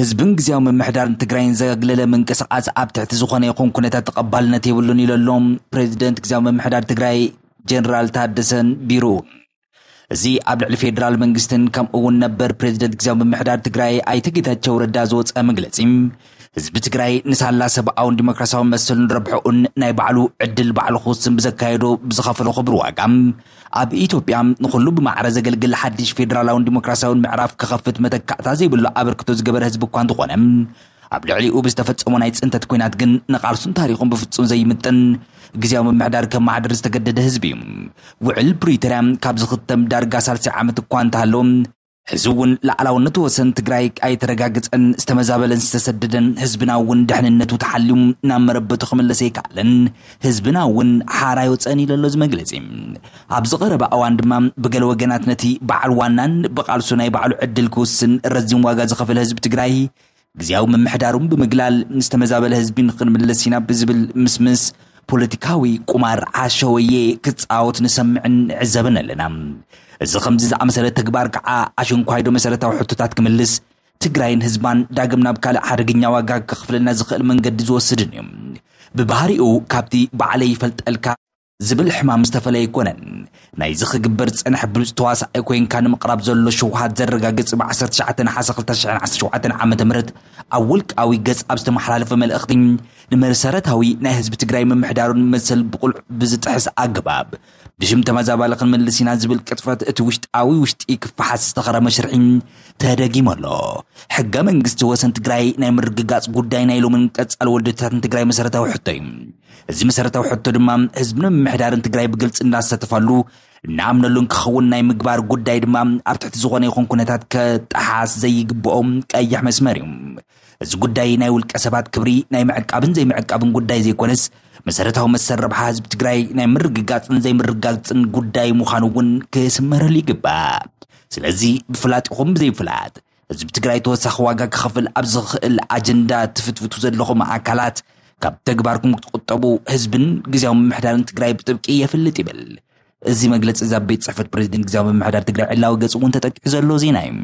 ህዝብን ግዜያዊ ምምሕዳርን ትግራይን ዘግለለ ምንቅስቃስ ኣብ ትሕቲ ዝኾነ ይኹን ኩነታት ተቐባልነት የብሉን ኢሉ ኣሎ ፕሬዚደንት ግዜያዊ ምምሕዳር ትግራይ ጀነራል ታደሰን ቢሩ። እዚ ኣብ ልዕሊ ፌደራል መንግስትን ከምኡ እውን ነበር ፕሬዚደንት ግዜያዊ ምምሕዳር ትግራይ ኣይተ ጌታቸው ረዳ ዝወፀ መግለፂ፣ ህዝቢ ትግራይ ንሳላ ሰብኣውን ዲሞክራሲያዊ መሰሉን ረብሕኡን ናይ ባዕሉ ዕድል ባዕሉ ክውስን ብዘካየዶ ብዝኸፈሎ ክቡር ዋጋ፣ ኣብ ኢትዮጵያ ንኹሉ ብማዕረ ዘገልግል ሓድሽ ፌደራላውን ዲሞክራሲያውን ምዕራፍ ክኸፍት መተካእታ ዘይብሉ ኣበርክቶ ዝገበረ ህዝቢ እኳ እንተኾነ፣ ኣብ ልዕሊኡ ብዝተፈጸሞ ናይ ጽንተት ኲናት ግን ንቓልሱን ታሪኹን ብፍጹም ዘይምጥን ግዜያዊ ምምሕዳር ከመሓድር ዝተገደደ ህዝቢ እዩ። ውዕል ፕሪቶርያ ካብ ዝኽተም ዳርጋ ሳልሳይ ዓመት እኳ እንተሃለወ፣ ሕዚ እውን ላዕላውነት ወሰን ትግራይ ኣይተረጋግጸን፣ ዝተመዛበለን ዝተሰደደን ህዝብና እውን ድሕንነቱ ተሓልዩ ናብ መረበቱ ክምለስ ኣይከኣለን፣ ህዝብና እውን ሓራ ኣይወፀን ኢሉ ኣሎ እዚ መግለፂ። ኣብ ዝቐረበ እዋን ድማ ብገለ ወገናት ነቲ በዓል ዋናን ብቓልሱ ናይ ባዕሉ ዕድል ክውስን ረዚን ዋጋ ዝኸፈለ ህዝቢ ትግራይ ግዜያዊ ምምሕዳሩን ብምግላል ዝተመዛበለ ህዝቢ ንክንምለስ ኢና ብዝብል ምስምስ ፖለቲካዊ ቁማር ዓሸወየ ክፃወት ንሰምዕን ንዕዘብን ኣለና። እዚ ከምዚ ዝኣመሰለ ተግባር ከዓ ኣሽንኳይዶ መሰረታዊ ሕቶታት ክምልስ ትግራይን ህዝባን ዳግም ናብ ካልእ ሓደገኛ ዋጋ ከኽፍለና ዝኽእል መንገዲ ዝወስድን እዩ። ብባህሪኡ ካብቲ ባዕለይ ይፈልጠልካ ዝብል ሕማም ዝተፈለየ ኣይኮነን። ናይዚ ክግበር ዝጸንሐ ብሉጽ ተዋሳኣይ ኮይንካ ንምቕራብ ዘሎ ሽውሃት ዘረጋግጽ ብ ዓሰርተ ትሽዓተ ነሓሰ ክልተ ሽሕን ዓሰርተ ሸውዓተን ዓመተ ምህረት ኣብ ውልቃዊ ገጽ ኣብ ዝተመሓላለፈ መልእኽቲ ንመሰረታዊ ናይ ህዝቢ ትግራይ ምምሕዳሩን መሰል ብቑልዕ ብዝጥሕስ ኣገባብ ብሽም ተመዛባሊ ክንምልስ ኢና ዝብል ቅጥፈት እቲ ውሽጣዊ ውሽጢ ክፈሓስ ዝተኸረመ ሽርሒ ተደጊሙ ኣሎ። ሕገ መንግስቲ ወሰን ትግራይ ናይ ምርግጋጽ ጉዳይ ናይ ሎምን ቀጻሊ ወለዶታትን ትግራይ መሰረታዊ ሕቶ እዩ። እዚ መሰረታዊ ሕቶ ድማ ህዝብን ምምሕዳርን ትግራይ ብግልፂ እንዳሳተፋሉ እናኣምነሉን ክኸውን ናይ ምግባር ጉዳይ ድማ ኣብ ትሕቲ ዝኾነ ይኹን ኩነታት ከጠሓስ ዘይግብኦም ቀይሕ መስመር እዩ። እዚ ጉዳይ ናይ ውልቀ ሰባት ክብሪ ናይ ምዕቃብን ዘይምዕቃብን ጉዳይ ዘይኮነስ መሰረታዊ መሰል ረብሓ ህዝቢ ትግራይ ናይ ምርግጋፅን ዘይምርጋፅን ጉዳይ ምዃኑ እውን ክስመረሉ ይግባእ። ስለዚ ብፍላጥ ይኹን ብዘይፍላጥ ህዝቢ ትግራይ ተወሳኺ ዋጋ ክኸፍል ኣብ ዝኽእል ኣጀንዳ ትፍትፍቱ ዘለኹም ኣካላት ካብ ተግባርኩም ክትቁጠቡ ህዝብን ግዜያዊ ምምሕዳርን ትግራይ ብጥብቂ የፍልጥ ይብል። እዚ መግለፂ እዚ ኣብ ቤት ፅሕፈት ፕሬዚደንት ግዜያዊ ምምሕዳር ትግራይ ዕላዊ ገፅ እውን ተጠቂዑ ዘሎ ዜና እዩ።